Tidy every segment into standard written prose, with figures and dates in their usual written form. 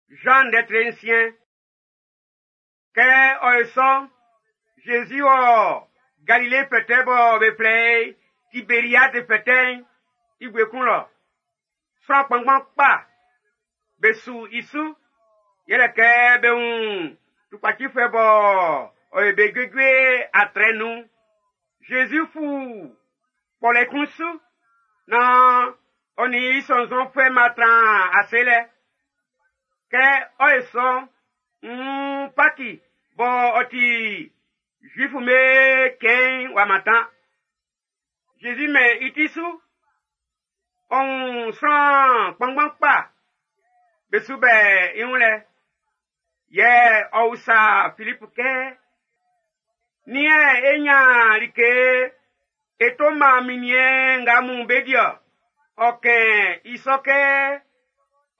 Zan ndɛ tre nsiɛn. Kɛ ɔ yo sɔ'n, Zezi wɔ Galile fɛtɛ bɔ be flɛ i Tiberiade fɛtɛ'n i bue kun lɔ. Sran kpanngban kpa be su i su, yɛlɛ kɛ be wun tukpacifuɛ bɔ ɔ yo be juejue atrɛ nun. Zezi fu kpɔlɛ kun su nan ɔ nin i sɔnnzɔnfuɛ'm b'a tran ase lɛ. Kɛ ɔ yo sɔ'n, nn Paki bɔ ɔ ti Zuifu'm be cɛn'n w'a mantan. Zezi mɛn i ti su, ɔ wun sran kpanngban kpa be su bɛ i wun lɛ. Yɛ ɔ usa Filipu kɛ? Nin yɛ e ɲan like e to man minniɛn nga mun be di-ɔ? Ɔ kɛn i sɔ kɛ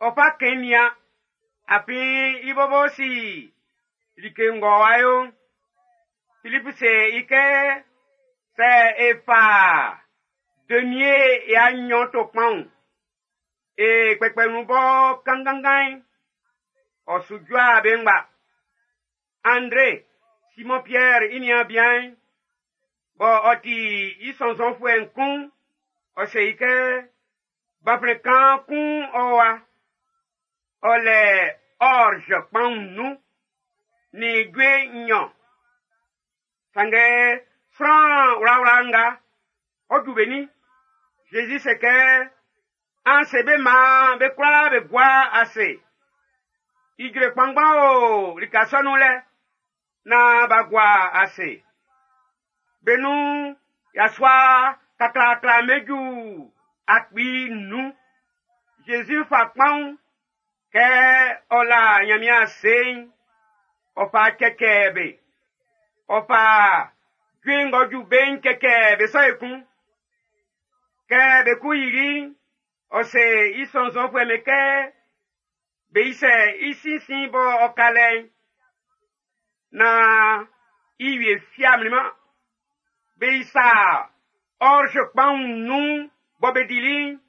ɔ fa kɛn nian, afin i bɔbɔ si like ng'ɔ wá yo'n. Filipu se i kɛ, sɛ e fa denie ya nɲɔn to kpanwun, e kpɛkpɛ nun bɔ kannganngan'n, ɔ su jua be ngba. Andre, Simɔn Piɛr i niaan bian'n, bɔ ɔ ti i sɔnnzɔnfuɛ'n kun'n, ɔ se i kɛ, gbanflɛn kaan kun ɔ wa, ɔ lɛ orge kpanwun nnun nin jue nnyɔn. Sanngɛ sran wlawla nga, ɔ ju be nin? Zezi se kɛ, an se be maan be kwlaa be gua ase. Ijre kpanngban o lika sɔ nun lɛ, naan b'a gua ase. Be nun yasua kaklaakla be ju 5000. Zezi fa kpanwun kɛ ɔ la Ɲanmiɛn ase'n, ɔ fa cɛcɛ be. Ɔ fa jue ng'ɔ ju be'n cɛcɛ be sɔ ekun. Kɛ be ku yili'n, ɔ se i sɔnnzɔnfuɛ'm be kɛ be isɛ i sinsin bɔ ɔ ka lɛ'n, naan i wie fi a mlinman. Be isa orge kpanwun nnun bɔ be dili'n,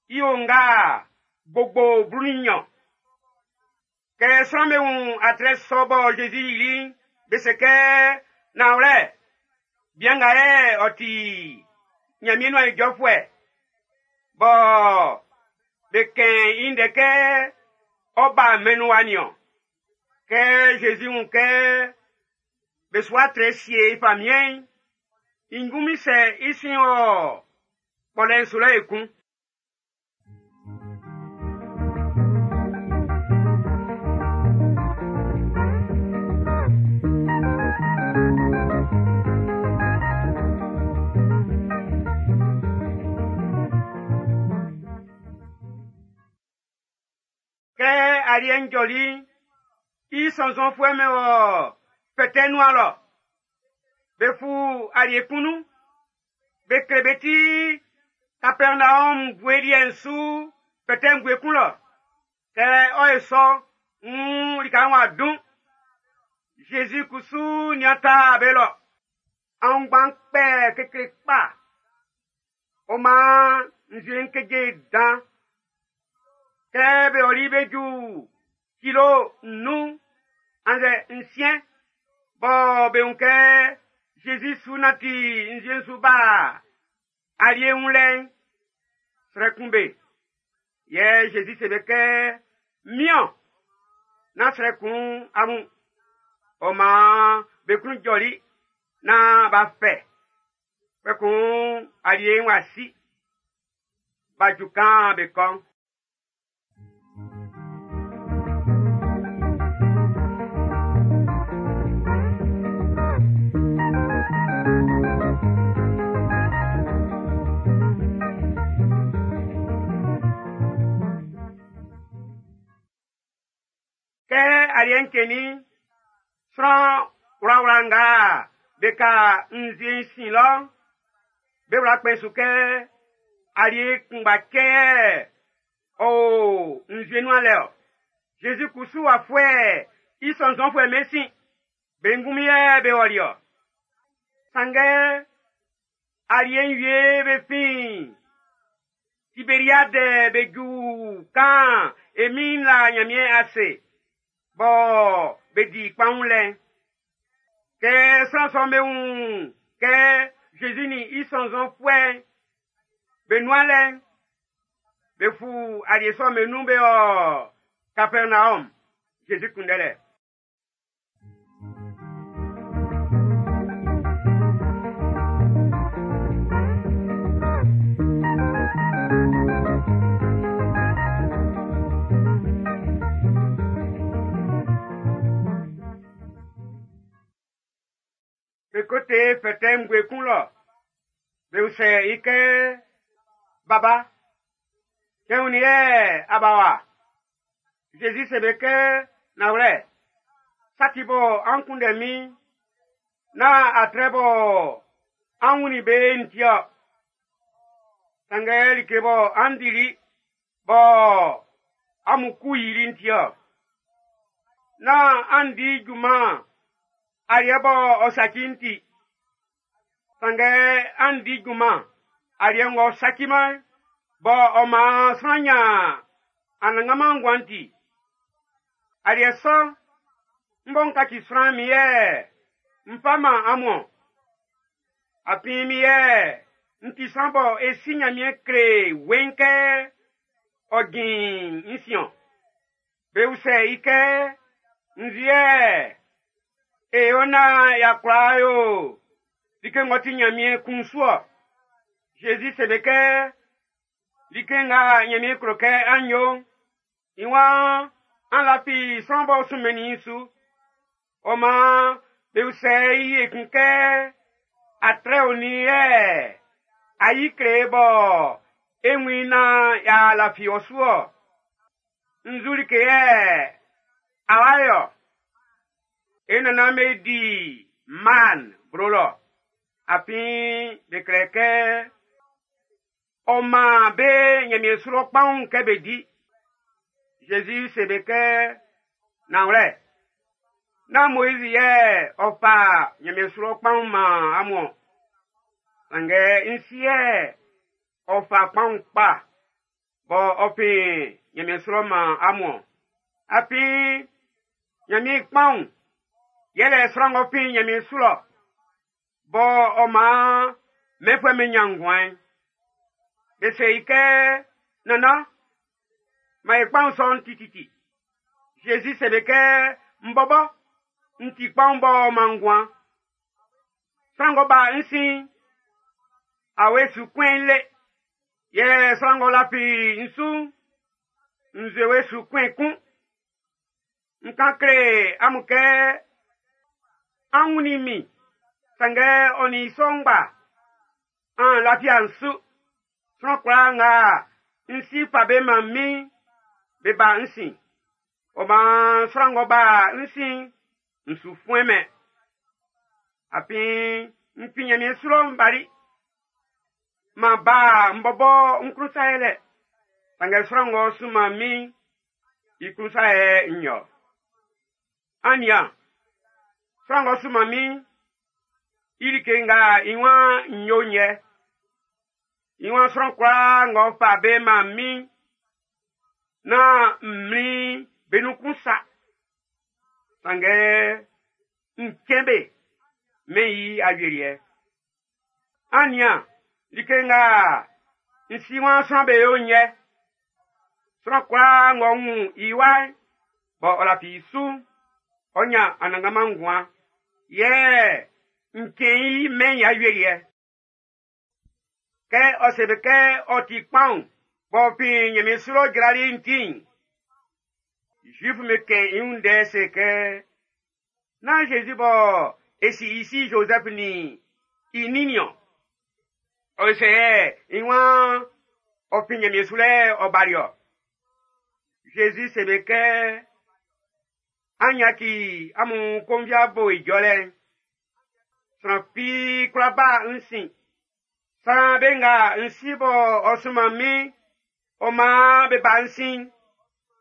i onga gbogbo 12. Kɛ sran'm be wun atrɛ sɔ bɔ Zezi yili'n, be se kɛ, nanwlɛ, bian nga yɛ ɔ ti Ɲanmiɛn nuan ijɔfuɛ bɔ be kɛn i ndɛ kɛ ɔ ba mɛn'n nun wa nin-ɔn. Kɛ Zezi wun kɛ be su atrɛ sie i famiɛn'n, i ngunmin sɛ i sin wɔ kpɔlɛ'n su lɔ ekun. Kɛ aliɛ'n jɔli'n, i sɔnnzɔnfuɛ'm be wɔ fɛtɛ nuan lɔ. Be fu alie kun nun. Be kle be ti Kapɛrnaɔm bue liɛ'n su fɛtɛ'n bue kun lɔ. Kɛ ɔ ye sɔ, nn lika'n w'a dun. Zezi kusu nian ta be lɔ. Aunngban kpɛ kekle kpa. Ɔ maan nzue'n keje dan. Kɛ be ɔli be ju kilo 5 annzɛ 6 bɔ be wun kɛ Zezi su nanti nzue'n su ba alie wun lɛ'n, srɛ kun be. Yɛ Zezi se be kɛ, min-ɔn, nán srɛ kun amun. Ɔ maan be klun jɔli naan b'a fɛ. Kpɛkun alie'n w'a si. B'a ju kan be kɔ'n. Kɛ aliɛ'n cɛnnin'n, sran wlawla nga be ka nzue'n sin lɔ'n, be wla kpɛn su kɛ alie kunngba cɛ yɛ ɔ o nzue nuan lɛ-ɔ. Zezi kusu w'a fuɛ i sɔnnzɔnfuɛ'm be sin, be ngunmin yɛ be ɔli-ɔ. Sanngɛ alie'n wie be fin Tiberiade be ju kan e Min'n la Nyanmiɛn ase bɔ be di kpaun lɛ'n. Kɛ sran sɔ'm be wun kɛ Zezi nin i sɔnnzɔnfuɛ'n be nuan lɛ'n, be fu alie sɔ'm be nun be ɔ Kapɛrnaɔm, Zezi kunndɛlɛ. Be ko te fɛtɛ ngue kun lɔ. Be usɛ i kɛ, Baba, cɛn onin yɛ a ba wa? Zezi se be kɛ, Nanwlɛ, sa ti bɔ an kunndɛ min'n, nán atrɛ bɔ an wunnin be'n ti-ɔ. Sanngɛ like bɔ an dili bɔ amun ku yili'n ti-ɔ. Nán an di junman aliɛ bɔ ɔ saci'n ti. Sanngɛ an di junman aliɛ ng'ɔ saciman'n, bɔ ɔ maan sran ɲan anannganman nguan'n ti. Aliɛ sɔ'n, n bɔ n kaci sran min yɛ n fa man amun-ɔn. Afin min yɛ n ti sran bɔ e si Nyanmiɛn kle weiin kɛ ɔ jin n sin-ɔn. Be usɛ i kɛ, Nzu yɛ e yo naan y'a kwla yo like ng'ɔ ti Nyanmiɛn klun su-ɔ? Zezi se be kɛ, Like nga Nyanmiɛn klo kɛ an yo'n, i waan an lafi sran b'ɔ sunmɛnnin i'n su. Ɔ maan be usɛ i ekun kɛ, Atrɛ onin yɛ a yi kle e bɔ e wun i naan y'a lafi ɔ su-ɔ? Nzu like yɛ a wa yo-ɔ? E nannan'm be di maan blo lɔ, afin be klɛ kɛ ɔ man be Nyanmiɛn su lɔ kpaun kɛ be di. Zezi se be kɛ, Nanwlɛ, nán Moizi yɛ ɔ fa Nyanmiɛn su lɔ kpaun man amun-ɔn. Sanngɛ n Si yɛ ɔ fa kpaun kpa bɔ ɔ fin Nyanmiɛn su lɔ man amun-ɔn. Afin Nyanmiɛn i kpaun yɛlɛ sran ng'ɔ fin Nyanmiɛn su lɔ bɔ ɔ maan mɛnfuɛ'm be nyan nguan'n. Be se i kɛ, Nannan, man e kpaun sɔ'n tititi. Zezi se be kɛ, N bɔbɔ, n ti kpaun b'ɔ man nguan. Sran ng'ɔ ba n sin'n, awe su kpɛn i le. Yɛ sran ng'ɔ lafi n su'n, nzuewe su kpɛn kun. N kan kle amun kɛ an wunnin min, sanngɛ ɔ nin i sɔ ngba, an lafi'a n su. Sran kwlaa nga n Si fa be man min'n, be ba n sin. Ɔ maan sran ng'ɔ ba n sin'n, n su fuɛn-mɛn. Afin n fin Nyanmiɛn su lɔ n bali. M'an ba n bɔbɔ n klun sa yɛlɛ. Sanngɛ sran ng'ɔ sunman min'n, i klun sa yɛ n yo. An nian, sran ng'ɔ sunman min'n, i like nga i waan n yo'n yɛ. I waan sran kwlaa ng'ɔ fa be man min'n, nán n mlin be nun kun sa. Sanngɛ n cɛn be mɛn i awieliɛ. An nian, like nga n Si waan sran be yo'n yɛ. Sran kwlaa ng'ɔ wun i wa'n, bɔ ɔ lafi i su'n, ɔ nyan anannganman nguan. Yɛ n cɛn i mɛn i awieliɛ. Kɛ ɔ se be kɛ ɔ ti kpaun b'ɔ fin Nyanmiɛn su lɔ jrali'n ti'n, Zuif'm be kɛn i wun ndɛ se kɛ, Nán Zezi bɔ e si i si Zozɛf nin i nin niɔn. Ɔ se i waan ɔ fin Nyanmiɛn su lɛ ɔ bali-ɔ. Zezi se be kɛ, An yaci amun konviabo ijɔlɛ'n. Sran fi kwla ba n sin. Saan be nga n Si bɔ ɔ sunman min'n, ɔ maan be ba n sin'n,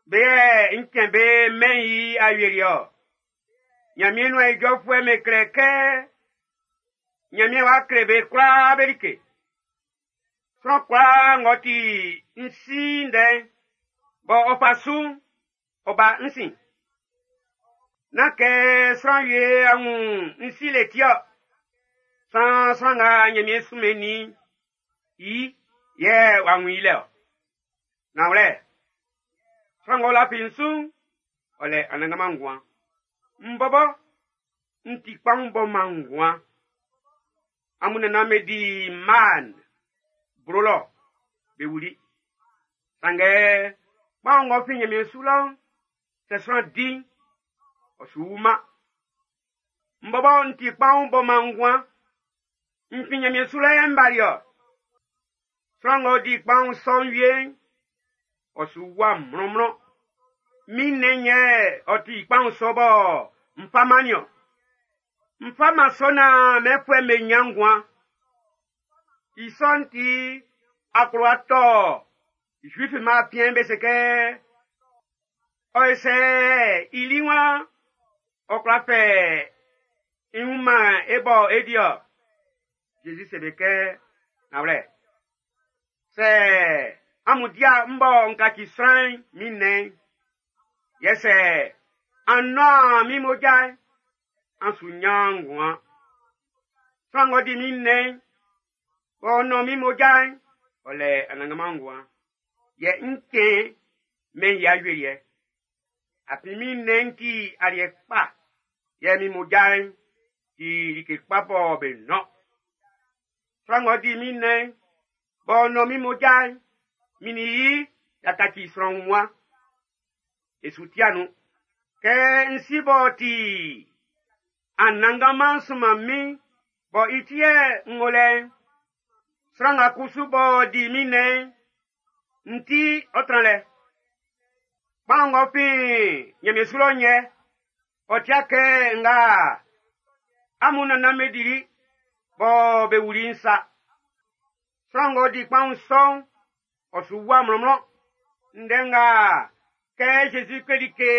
be yɛ n cɛn be mɛn'n i awieliɛ-ɔ. Nyanmiɛn nuan ijɔfuɛ'm be klɛ kɛ Nyanmiɛn w'a kle be kwlaa be like. Sran kwlaa ng'ɔ ti n Si ndɛ'n, Bɔ ɔ fa su'n, ɔ ba n sin. Nán kɛ sran wie a wun n si le ti-ɔ. San sran nga Nyanmiɛn sunmɛnnin i yɛ w'a wun i lɛ-ɔ. Nanwlɛ, sran ng'ɔ lafi n su'n, ɔ lɛ anannganman nguan. M bɔbɔ, n ti kpaun b'ɔ man nguan. Amun nannan be di maan blo lɔ, be wuli. Sanngɛ kpaun ng'ɔ fin Nyanmiɛn su lɔ'n, sɛ sran di'n, ɔ su wuman. M bɔbɔ n ti kpaun b'ɔ man nguan. N fin Nyanmiɛn su lɔ yɛ m bali-ɔ. Sran ng'ɔ di kpaun sɔ'n wie'n, ɔ su wua mlɔnmlɔn. Min nnɛn'n yɛ ɔ ti kpaun sɔ bɔ n fa man nin-ɔn. N fa man sɔ naan mɛnfuɛ'm be nyan nguan. I sɔ'n ti akplowa tɔ Zuif'm be afiɛn be se kɛ, ɔ ye sɛ i li wan ɔ kwla fɛ i wun man e bɔ e di-ɔ. Zezi se be kɛ, nanwlɛ, sɛ amun dia m bɔ n kaci sran'n min nnɛn'n, yɛ sɛ an nɔn min mmoja'n, an su nyan nguan. Sran ng'ɔ di min nnɛn'n, b'ɔ nɔn min mmoja'n, ɔ lɛ anannganman nguan. Yɛ n cɛn mɛn i awieliɛ. Afin min nnɛn'n ti aliɛ kpa, yɛ min mmoja'n ti like kpa bɔ be nɔn. Sran ng'ɔ di min nnɛn'n, b'ɔ nɔn min mmoja'n, min nin i y'a kaci sran wunmuan. E su tia nun. Kɛ n si b'ɔ ti Anannganman sunman min bɔ i ti yɛ n wo lɛ'n, sran nga kusu b'ɔ di min nnɛn'n, n ti ɔ tran lɛ. Kpaun ng'ɔ fin Nyanmiɛn su lɔ'n yɛ, ɔ tia kɛ nga amun nannan be dili bɔ be wuli'n sa. Sran ng'ɔ di kpaun sɔ'n, ɔ su wua mlɔnmlɔn. Ndɛ nga kɛ Jésus kleli ke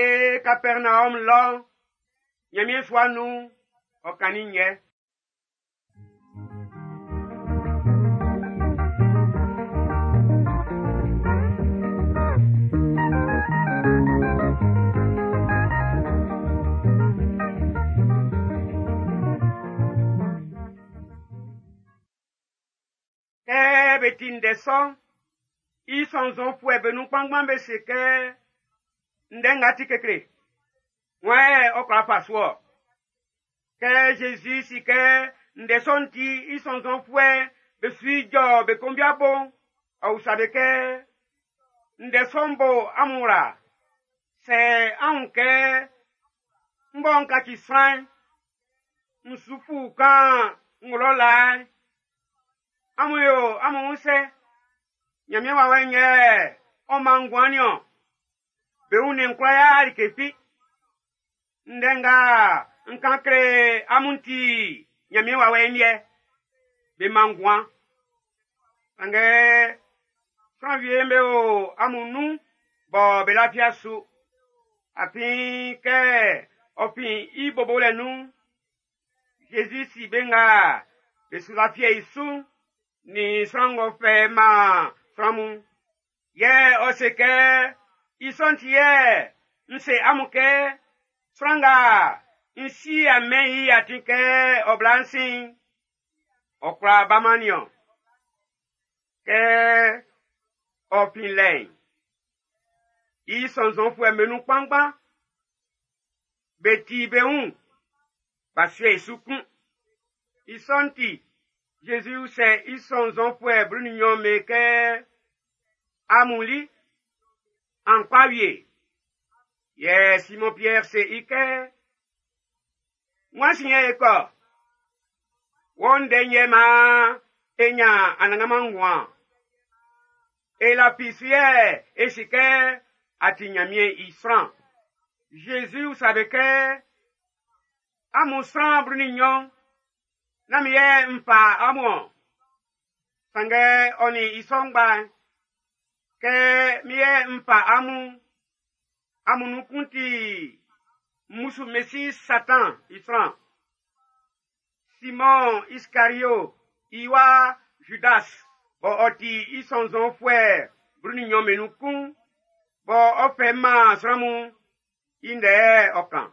Kapɛrnaɔm lɔ'n, Nyanmiɛn sua nun'n, ɔ kannin yɛ. Kɛ be ti ndɛ sɔ'n, i sɔnnzɔnfuɛ be nun kpanngban be se kɛ ndɛ nga ti kekle. Wan yɛ ɔ kwla fa su-ɔ? Kɛ Jésus si kɛ ndɛ sɔ'n ti i sɔnnzɔnfuɛ be su ijɔ be konvia bo'n, ɔ usa be kɛ, ndɛ sɔ'n bo amun wla. Sɛ an wun kɛ m bɔ n kaci sran'n, n su fu kan n wlɔ laa'n, amun yo amun wun sɛ, Nyanmiɛn wawɛ'n yɛ ɔ man nguan nin-ɔn. Be wunnɛn'n kwla ya like fi. Ndɛ nga n kan kle amun ti Nyanmiɛn wawɛ'n liɛ, be man nguan. Sanngɛ sran wie'm be o amun nun bɔ be lafia su. Afin kɛ ɔ fin i bobolɛ nun'n, Jésus si be nga be su lafia i su'n, nin sran ng'ɔ fɛ man sran mun. Yɛ ɔ se kɛ, i sɔ'n ti yɛ n se amun kɛ, sran nga n si a mɛn i atin kɛ ɔ bla n sin'n, ɔ kwla baman nin-ɔn. Kɛ ɔ fin lɛ'n, i sɔnnzɔnfuɛ'm be nun kpanngban be ti be wun b'a sue i su kun. I sɔ'n ti, Jésus usɛ i sɔnnzɔnfuɛ 12 be kɛ, amun li, an kpa wie. Yɛ Simon Pierre se i kɛ, wan sin yɛ e kɔ? Wɔ ndɛ yɛ maan e nya anannganman nguan. E lafi su yɛ e si kɛ a ti Nyanmiɛn i sran. Jésus usa be kɛ, amun sran 12, nán min yɛ n fa amun-ɔn. Sanngɛ ɔ nin i sɔ ngba'n, kɛ min yɛ n fa amun, amun nun kun ti mmusu Mesi Satan i sran. Simon Iskario i wa Judas bɔ ɔ ti i sɔnnzɔnfuɛ 12 be nun kun. bɔ ɔ fɛ man sran mun'n, i ndɛ yɛ ɔ kan.